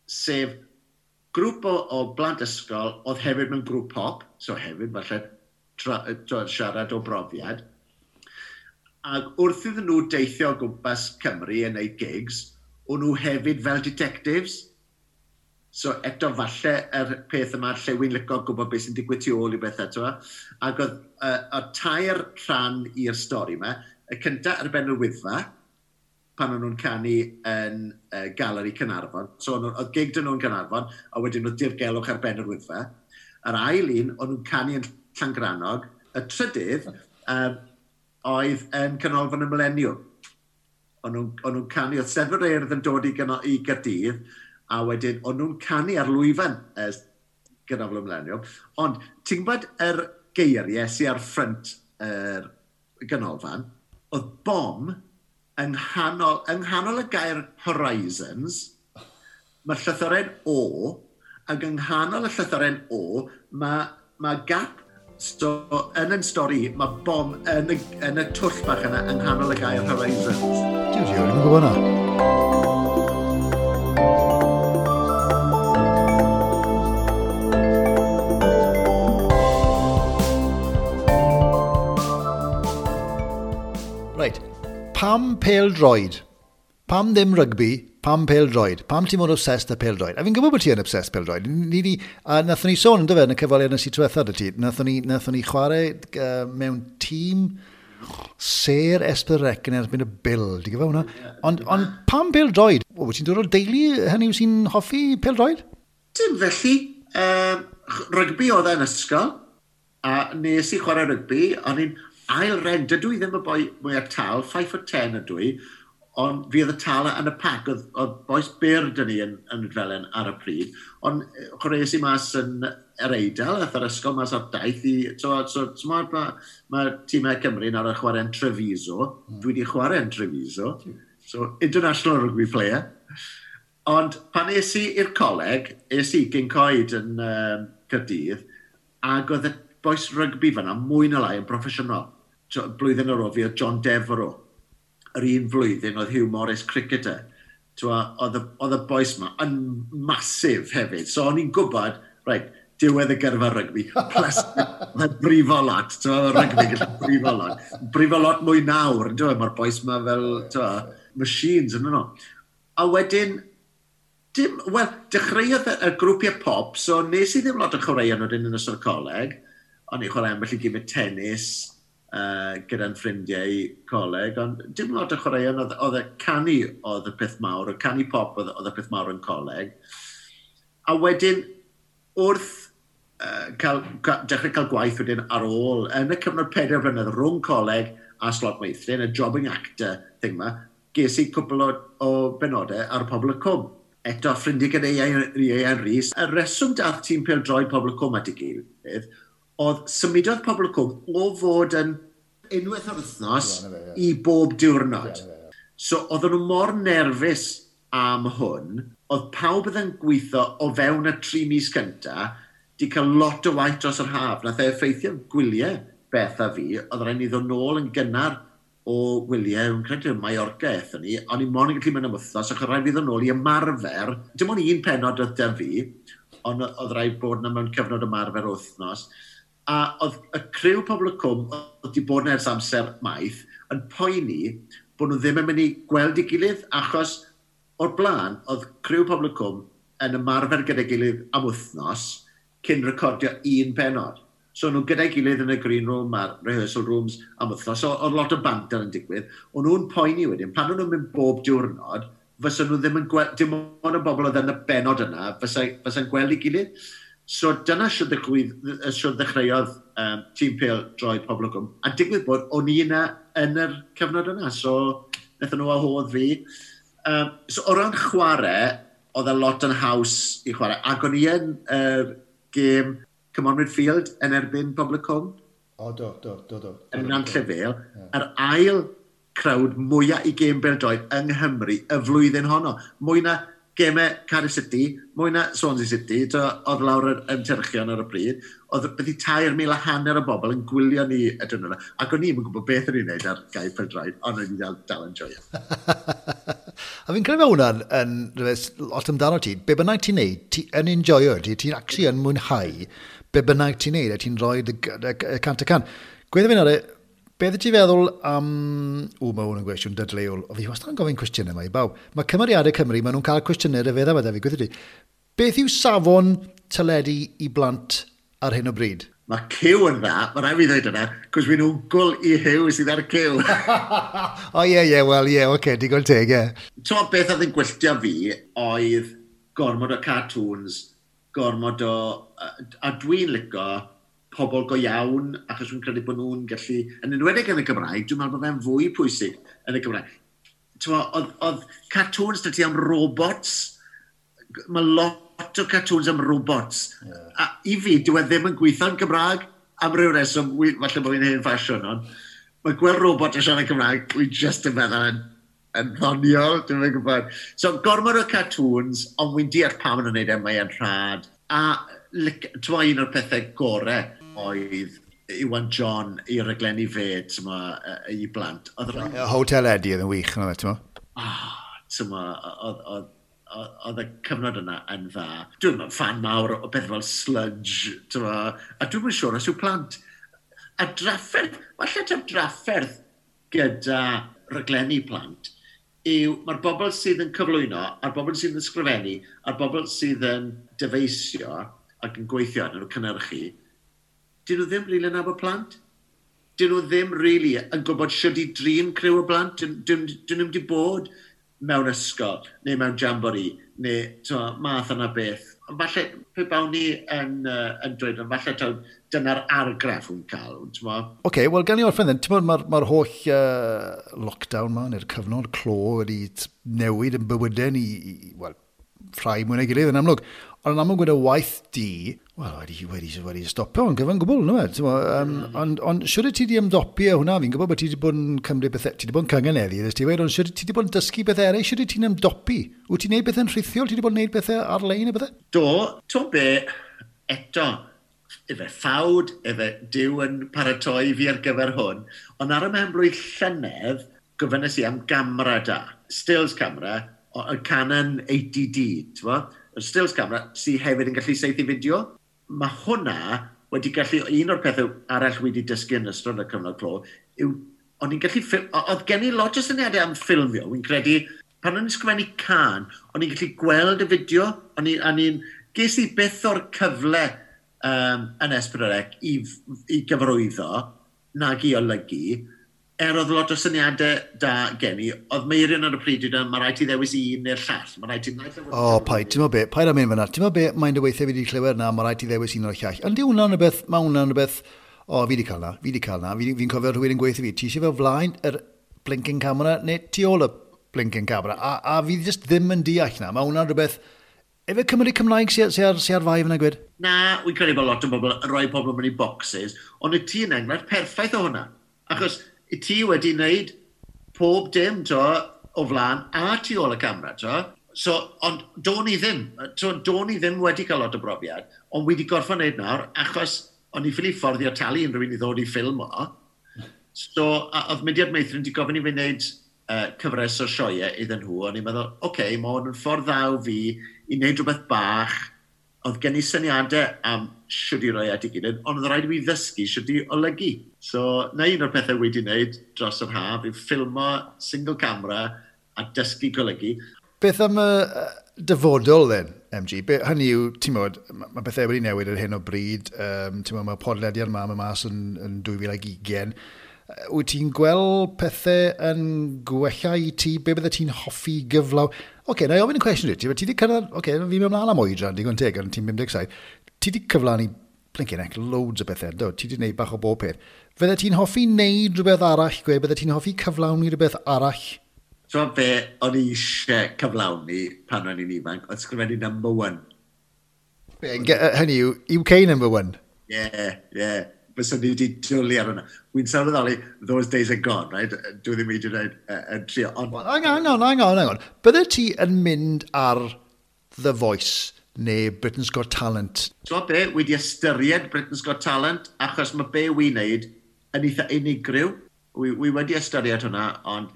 [SPEAKER 2] Sef grŵp o blant ysgol oedd hefyd mewn grŵp pop, so hefyd falle siarad o brofiad. Ac wrth iddyn nhw deithio o gwmpas Cymru yn neud gigs, o'n nhw hefyd fel detectives. So eto falle yr peth yma lle wy'n licio gwybod beth sy'n digwydd tu ôl i bethau, t'mo'? Ac oedd tair rhan i'r stori yma. Y cyntaf ar ben yr Wyddfa, pan o'n nhw'n canu yn Galeri Caernarfon. So oedd gig 'dyn nhw'n Caernarfon, a wedyn oedd dirgelwch ar ben yr Wyddfa. Yr ail un, o'n nhw'n canu yn Llangrannog. Y trydydd oedd yn Canolfan y Mileniwm. O'n nhw'n canu, oedd Steddfod yr Urdd yn dod i Gaerdydd, a wedyn o'n nhw'n canu ar lwyfan Canolfan y Mileniwm. Ond ti'n gwybod yr geiriau sy'n ar ffrynt yr ganolfan, oedd bom yng nghanol y gair Horizons, mae llythyren O, ac yng nghanol y llythyren O, mae gap. So, yn stori, mae bom yn y twll bach yna yng nghanol y gair Horizons.
[SPEAKER 1] Dwi'n rioed yn gwybod hwnna. Reit, pam pêl-droed? Pam ddim rygbi? Pam pêl-droed? Pam ti'n mor obsessed â pêl-droed? A fi'n gwybod bod ti yn obsessed pêl-droed. A nathon ni sôn, ynddo fe, yn y cyfweliad nes i diwetha 'da ti. Nathon ni chwarae mewn tîm Sêr S4C yn erbyn y Bil. Ti'n gwybod hwnna? Ond pam pêl-droed? O, ti'n dod o'r deulu hynny yw sy'n hoffi pêl-droed?
[SPEAKER 2] Dim felly. Rygbi oedd e'n ysgol. A nes i chwarae rygbi. O'n i'n ail ren. Dydw i ddim y boi mwyaf tal, 5'10" ydw i. Ond fi oedd y tala yn y pac, oedd bois byr dyn ni yn Rhydfelen ar y pryd. Ond chwaraeais i mas yn yr Eidal, ath yr ysgol mas ar daith i... So, mae tîmau Cymru nawr yn chwarae'n Treviso. Dwi wedi chwarae'n Treviso. So, international rugby player. Ond pan es i i'r coleg, es i Gyncoed yn Caerdydd, ac oedd y bois rygbi fan'na mwy na lai yn broffesiynol. So, blwyddyn ar ôl fi oedd John Devereux. Yr un flwyddyn oedd Hugh Morris cricketer. Oedd y bois ma yn masif hefyd. So o'n i'n gwybod, right, diwedd y gyrfa rygbi, plus mae'n brifo lot, rygbi gallu brifo lot. Brifo lot mwy nawr, mae'r bois ma fel machines yn nhw. A wedyn, dechreuodd y grwpiau pop, so nes i ddim lot o chwaraeon wedyn yn ystod y coleg. O'n i'n chwarae ambell i gymryd tennis, gyda'n ffrindiau coleg, ond dim lot o chwaraeon, oedd y canu oedd y peth mawr, y canu pop oedd y peth mawr yn coleg. A wedyn, wrth dechrau cael gwaith wedyn ar ôl, yn y cyfnod 4 blynedd rhwng coleg a Slot Meithrin, y jobbing actor thing ma, ges i cwpl o benodau ar Pobl y Cwm. Eto, ffrindiau gyda Ieuan Rhys. Y reswm dath tîm pêl-droed Pobl y Cwm at ei gilydd, oedd symudodd Pobl y Cwm o fod yn unwaith o'r wythnos i bob diwrnod. So, oedden nhw mor nerfus am hwn, oedd pawb oedd yn gweithio o fewn y 3 mis cynta, di cael lot o waith dros yr haf. Nath e effeithio gwyliau Beth a fi, oedd rhaid ni ddod nôl yn gynnar o wyliau, yn credu Mallorca aethon ni, o'n i mond yn gallu mynd am wythnos, ac oedd rhaid fi ddod nôl i ymarfer, dim ond un pennod oedd 'da fi, ond oedd rhaid bod yna mewn cyfnod ymarfer wythnos, a oedd y criw Pobl y Cwm, oedd wedi bod yn ers amser maith, yn poeni bod nhw ddim yn mynd i gweld ei gilydd, achos o'r blaen, oedd criw Pobl y Cwm yn ymarfer gyda'i gilydd am wythnos cyn recordio un pennod. So nhw gyda'i gilydd yn y green room a'r rehearsal rooms am wythnos. So oedd lot o banter yn digwydd. O'n nhw'n poeni wedyn, pan o'n nhw'n mynd bob diwrnod, fysa nhw ddim yn gweld, dim ond y bobl oedd yn y benod yna, fysa'n gweld ei gilydd. So dyna siwr ddechreuodd tîm pêl-droed Pobl y Cwm. A digwydd bod, o'n i yna yn yr cyfnod yna. So wnaethon nhw wahodd fi. So o ran chwarae, oedd e lot yn haws i chwarae. Ac o'n i yn gêm Come On Midfield yn erbyn Pobl y Cwm.
[SPEAKER 1] O, do.
[SPEAKER 2] Yn Nantlle Vale. Yr ail crowd mwyaf i gêm bêl-droed yng Nghymru y flwyddyn honno. Mwy na gemau Cardiff City, mwy na Swansea City, to, oedd lawr yr ymtyrchion ar y pryd, oedd beth i 3,500 o bobl yn gwylio ni y diwrnod yna. Ac o'n i'n gwybod beth o'n i'n neud ar gae pêl-droed, ond o'n i dal yn joio.
[SPEAKER 1] A fi'n credu mae hwnna'n yn rhywbeth lot amdano ti. Be bynnag ti'n neud, ti yn enjoyo, ti'n actually yn mwynhau be bynnag ti'n neud, a ti'n rhoi y 100%. Gweud fi nawr, beth ti'n feddwl am... Ww, mae hwn yn gwestiwn dadleuol. O, fi wastad yn gofyn cwestiynau yma i bawb. Mae cymeriadau Cymru, maen nhw'n cael cwestiynau rhyfedd am fi, gweud ti. Beth yw safon teledu i blant ar hyn o bryd?
[SPEAKER 2] Mae Cyw yn dda, mae rhaid fi ddweud yna, cos fi'n wncwl i Huw sydd ar y Cyw.
[SPEAKER 1] O ie, ie, wel, ie, oce, digon teg, ie.
[SPEAKER 2] Ti'n beth oedd yn gwylltio fi oedd gormod o cartoons, gormod o... A dwi'n licio pobl go iawn, achos dwi'n credu bod nhw'n gallu... Yn enwedig yn y Gymraeg, dwi'n meddwl bod fe'n fwy pwysig yn y Gymraeg. Ti'n oedd cartoons 'da ti am robots, mae lot o cartoons am robots. Yeah. A i fi, dyw e ddim yn gweithio'n Gymraeg am ryw reswm, falle bod fi'n hen ffasiwn, ond mae gweld robot yn siarad Cymraeg, wi just yn meddwl yn ddoniol, dwi'n yn gwybod. So, gormod o cartoons, ond wy'n deall pam maen nhw'n neud e, mae'n rhad. A ti'n un o'r pethau gorau oedd Iwan John i raglenni fe, ti'n i blant. Oedd
[SPEAKER 1] Hotel Eddie oedd yn wych, yna, ti'n
[SPEAKER 2] Ah, ti'n oedd y cyfnod yna yn dda. Dwi'n fan mawr o beth fel Sludge, ti'n a dwi'n yn siŵr os yw plant. A drafferth, falle ta'r drafferth gyda raglenni plant, yw mae'r bobl sydd yn cyflwyno, a'r bobl sydd yn ysgrifennu, a'r bobl sydd yn dyfeisio ac yn gweithio arnyn nhw cynhyrchu, dyn nhw ddim rili yn nabod plant. Dyn nhw ddim rili yn gwybod sut i drin criw o blant. Dyn nhw ddim wedi bod mewn ysgol, neu mewn jamboree, neu to, math yna beth. Ond falle, pe bawn ni yn dweud, ond falle taw dyna'r argraff wy'n cael, ti'n mo?
[SPEAKER 1] Oce, okay, wel, gan i orffen then, ti'n mae'r ma holl lockdown ma, neu'r cyfnod clo wedi newid yn bywydau ni, wel, rhai mwy na'i gilydd yn amlwg. Ond yn amlwg wedi waith di, wel, wedi stopio yn gyfan gwbl, no e? Ond on, siwr ti wedi ymdopi â hwnna? Fi'n gwybod bod ti wedi bod yn cymryd bethau, ti wedi bod yn cynganeddu, ddys ti wedi, ond siwr ti wedi bod yn dysgu bethau eraill, siwr ti'n ymdopi? Wyt ti'n neud bethau'n rhithiol? Ti wedi bod yn neud bethau ar-lein a bethau?
[SPEAKER 2] Do, to be, eto, efe ffawd, efe Duw yn paratoi fi ar gyfer hwn, ond ar y mhen-blwydd llynedd, gofynnes i am gamera da, stills camera, y Canon 80D, ti'n bo? Y stills camera sydd hefyd yn gallu saethu fideo. Mae hwnna wedi gallu, un o'r pethau arall wedi dysgu yn ystod y cyfnod clo, yw, o'n i'n gallu, oedd gen i lot o syniadau am ffilmio, wy'n credu, pan o'n i'n ysgrifennu cân, o'n i'n gallu gweld y fideo, o'n i'n, ges i byth o'r cyfle yn S4C i gyfarwyddo, nag i olygu, oedd lot o syniadau da gen i, oedd Meirion ar y pryd wedi, mae rhaid ti ddewis un neu'r llall. Mae rhaid ti...
[SPEAKER 1] O, paid, ti'n meddwl be, paid am mynd fyna. Ti'n meddwl be, mae'n dy weithiau fi wedi clywed na, mae rhaid ti ddewis un o'r llall. Ond di hwnna'n rhywbeth, mae hwnna'n rhywbeth, o, fi wedi cael na, fi wedi cael na. Fi'n cofio rhywun yn gweithio fi, ti eisiau fel flaen yr blinking camera neu tu ôl y blinking camera? A fi just ddim yn deall na. Mae hwnna'n rhywbeth, efe Cymru Cymraeg sy ar fai fyna gwed?
[SPEAKER 2] Na, wy'n credu bod lot o bobl yn rhoi pobl mewn i boxes, ond y ti yn enghraifft perffaith o hwnna. Achos i ti wedi wneud pob dim, to, o flaen a tu ôl y camera, to. So, ond do'n i ddim, to, do'n i ddim wedi cael lot o brofiad, ond wedi gorfod wneud nawr, achos O'n i ffili fforddio talu unrhyw un i ddod i ffilm o. So, a, oedd Mudiad Meithrin wedi gofyn i fi wneud cyfres o sioeau iddyn nhw. O'n i'n meddwl, oce, okay, mae hwn yn ffordd dda o fi i wneud rhywbeth bach. Oedd gen i syniadau am shwd i roi at ei gilydd, ond oedd rhaid i fi ddysgu shwd i olygu. So, na un o'r pethau wedi wneud dros yr haf, yw ffilmo single camera a dysgu golygu.
[SPEAKER 1] Beth am y dyfodol, then, MG? Be, hynny yw, ti'n modd, mae bethau wedi newid ar hyn o bryd. Ti'n modd, mae podlediad yma yn mas yn 2020. Wyt ti'n gweld pethau yn gwella i ti? Be bydde ti'n hoffi gyflaw? Oce, okay, na i ofyn y cwestiwn i ti. Ti wedi cyrraedd... Oce, okay, fi'n mynd ymlaen am oedran, digon teg, ond ti'n 57. Ti wedi cyflawni blinking heck, loads o bethau, do? Ti wedi gwneud bach o bob peth. Fydde ti'n hoffi wneud rhywbeth arall, gwe? Bydde ti'n hoffi cyflawni rhywbeth arall?
[SPEAKER 2] So be o'n i eisiau cyflawni pan o'n i'n ifanc, oedd sgrifennu number one.
[SPEAKER 1] Be, hynny yw, UK number one?
[SPEAKER 2] Yeah. Fyswn ni wedi dwlu ar hwnna. Wy'n sylweddoli, those days are gone, right? Dwi ddim wedi gwneud yn trio.
[SPEAKER 1] Ond... Well, hang on, hang on, hang on, hang on. Bydde ti yn mynd ar The Voice neu Britain's Got Talent?
[SPEAKER 2] Ti'n be, wedi ystyried Britain's Got Talent, achos mae be wy'n neud yn eitha unigryw. Wi wedi ystyried hwnna, ond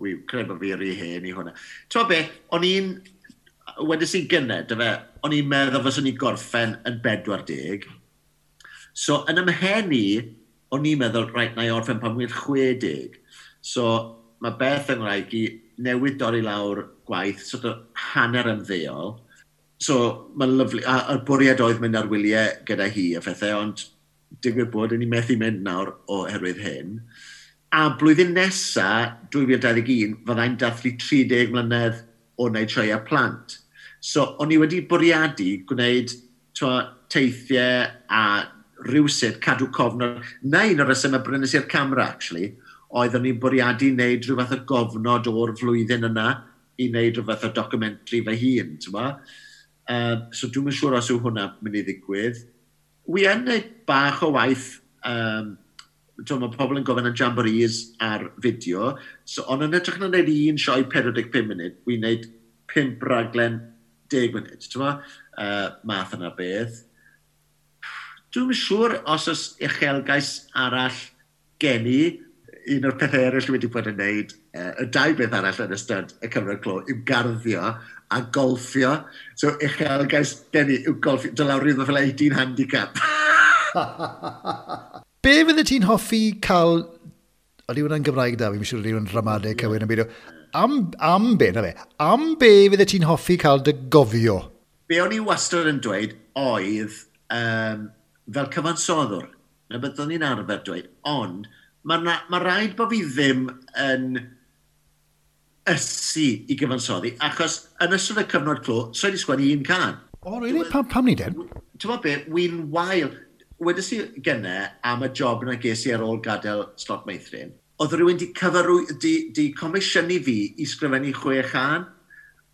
[SPEAKER 2] wi credu bod fi rhy hen i hwnna. Ti'n be, o'n i'n, wedes i gynne, dy fe, o'n i'n meddwl fyswn i gorffen yn 40. So, yn ymhen i, o'n i'n meddwl, reit, na i orffen pan wy'n 60. So, mae Beth yng Nghymraeg i newydd dorri lawr gwaith, sort of hanner ymddeol. So, mae'n lyfli. A'r bwriad oedd mynd ar wyliau gyda hi a phethau, ond digwydd bod, yn i methu mynd nawr oherwydd hyn. A blwyddyn nesa, 2021, fyddai'n dathlu 30 mlynedd o wneud sioeau plant. So, o'n i wedi bwriadu gwneud twa, teithiau a rhywsut cadw cofnod. Na un o'r rhesymau brynes i'r camera, actually, oedd o'n i'n bwriadu wneud rhyw fath o gofnod o'r flwyddyn yna i wneud rhyw fath o documentary fy hun, ti'n bo? So dwi'm yn siŵr os yw hwnna mynd i ddigwydd. Wi yn gwneud bach o waith, mae pobl yn gofyn am jamborees ar fideo, so ond yn hytrach na wneud un sioe 45 munud, wi'n wneud 5 raglen 10 munud, ti'n bo? Math yna beth. Dwi'm yn siŵr os oes uchelgais arall gen i. Un o'r pethau eraill wedi bod yn wneud, y dau beth arall yn ystod y cyfnod clo, yw garddio a golffio. So uchelgais gen i yw golffio, dod lawr rhywbeth fel 18 handicap.
[SPEAKER 1] Be fydde ti'n hoffi cael... Ydy hwnna'n Gymraeg da, fi'n siŵr ydy hwnna'n ramadeg cywir yn byd. Am be, na fe, am be fydde ti'n hoffi cael dy gofio?
[SPEAKER 2] Be o'n i wastad yn dweud oedd fel cyfansoddwr, na beth o'n i'n arfer dweud, ond mae ma rhaid bod fi ddim yn ysu i gyfansoddi, achos yn ystod y cyfnod clo, so i wedi sgwennu un cân.
[SPEAKER 1] O, oh, really? Pam ni den?
[SPEAKER 2] Ti'n gwybod be, wy'n wael. Wedes i gynne am y job na ges i ar ôl gadael Slot Meithrin, oedd rhywun di, cyfarwy, di comisiynu fi i sgrifennu chwe chân,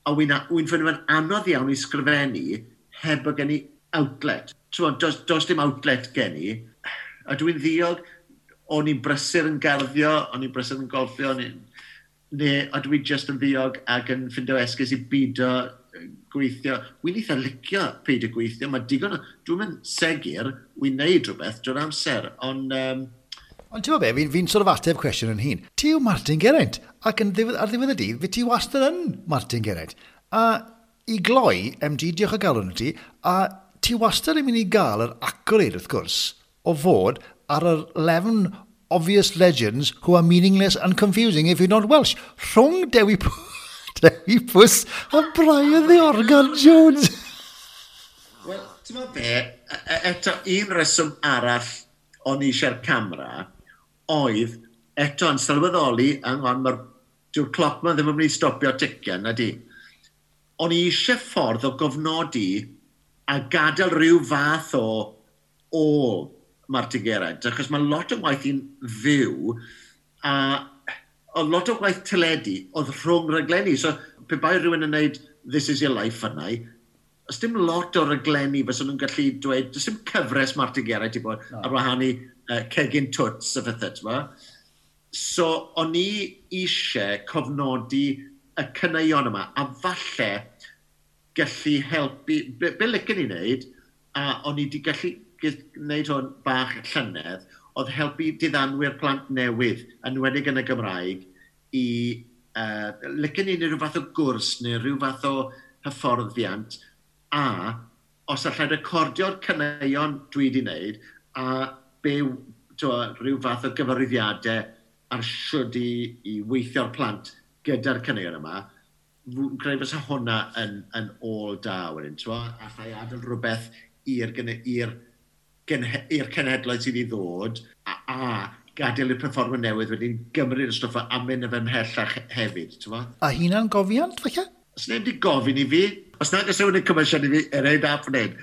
[SPEAKER 2] a wy'n wy ffeindio fe'n anodd iawn i sgrifennu heb bod gen i outlet. Ti'n does dim outlet gen i, a dwi'n ddiog, o'n i'n brysur yn garddio, o'n i'n brysur yn golffio, neu a dwi just yn ddiog ac yn ffindo esgus i bido gweithio. Wy'n eitha licio peidio gweithio, mae digon o... Dwi'n mynd segur, wy'n neud rhywbeth drwy'r amser, ond...
[SPEAKER 1] Ond ti'n gwybod be, fi'n fi sort of ateb cwestiwn yn hun. Ti yw Martin Geraint, ac yn ddiwedd, ar ddiwedd y dydd, fi ti wastad yn Martin Geraint. A i gloi, MG, diolch o galon i ti, a ti wastad yn mynd i gael yr accolade, wrth gwrs, o fod ar yr 11 obvious legends who are meaningless and confusing if you're not Welsh. Rhwng Dewi Pws a Brian the Organ Jones.
[SPEAKER 2] Wel, ti'n meddwl be, eto un reswm arall o'n i eisiau'r camera oedd eto yn sylweddoli, hang on, mae'r dyw'r cloc ma ddim yn mynd i stopio ticio, na di. O'n i eisiau ffordd o gofnodi a gadael rhyw fath o ôl Martin Geraint, achos mae lot o waith i'n fyw, a oedd lot o waith teledu oedd rhwng raglenni. So, pe bai rhywun yn gwneud This Is Your Life yna, oes dim lot o raglenni fysa nhw'n gallu dweud, does dim cyfres Martin Geraint i bod no. ar wahân i Cegin Twts a phethau, ti'n So, o'n i eisiau cofnodi y caneuon yma, a falle gallu helpu, be licen i wneud, a o'n i wedi gallu wneud hwn bach llynedd, oedd helpu diddanwyr plant newydd, yn enwedig yn y Gymraeg, i licen ni rhyw fath o gwrs neu rhyw fath o hyfforddiant, a os allai recordio'r caneuon dwi wedi wneud, a be, rhyw fath o gyfarwyddiadau ar siwd i weithio'r plant gyda'r caneuon yma, fi'n credu fysa hwnna yn ôl da wedyn, ti'n allai adael rhywbeth i'r cenhedloedd sydd i ddod, a gadael i'r perfformer newydd wedyn gymryd y stwff a mynd â fe ymhellach hefyd, ti'n
[SPEAKER 1] A hunan gofiant, falle?
[SPEAKER 2] Os neb wedi gofyn i fi, os nad oes rhywun yn comisiwn i fi, it ain't happening.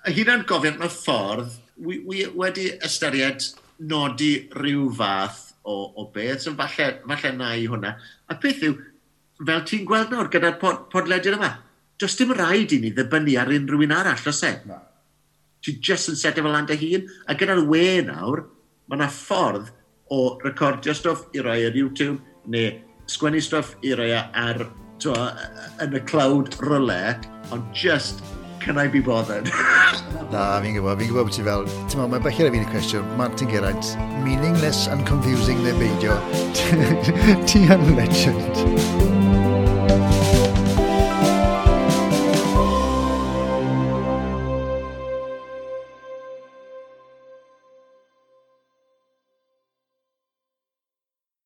[SPEAKER 2] A hunan gofiant mewn ffordd, wi wedi ystyried nodi rhyw fath o beth, so falle na i hwnna. A peth yw, fel ti'n gweld nawr gyda'r podlediad yma, does dim rhaid i ni ddibynnu ar unrhyw un arall, oes e?
[SPEAKER 1] Na.
[SPEAKER 2] Ti just yn setio fel lan dy hun, a gyda'r we nawr, mae yna ffordd o recordio stwff i roi ar YouTube, neu sgwennu stwff i roi ar, t'wo, yn y cloud rywle, ond just, can I be bothered?
[SPEAKER 1] Na, fi'n gwybod bod ti fel, ti'n meddwl, mae'n belled i fi'n y cwestiwn, Martin Geraint, meaningless and confusing neu beidio, ti yn legend.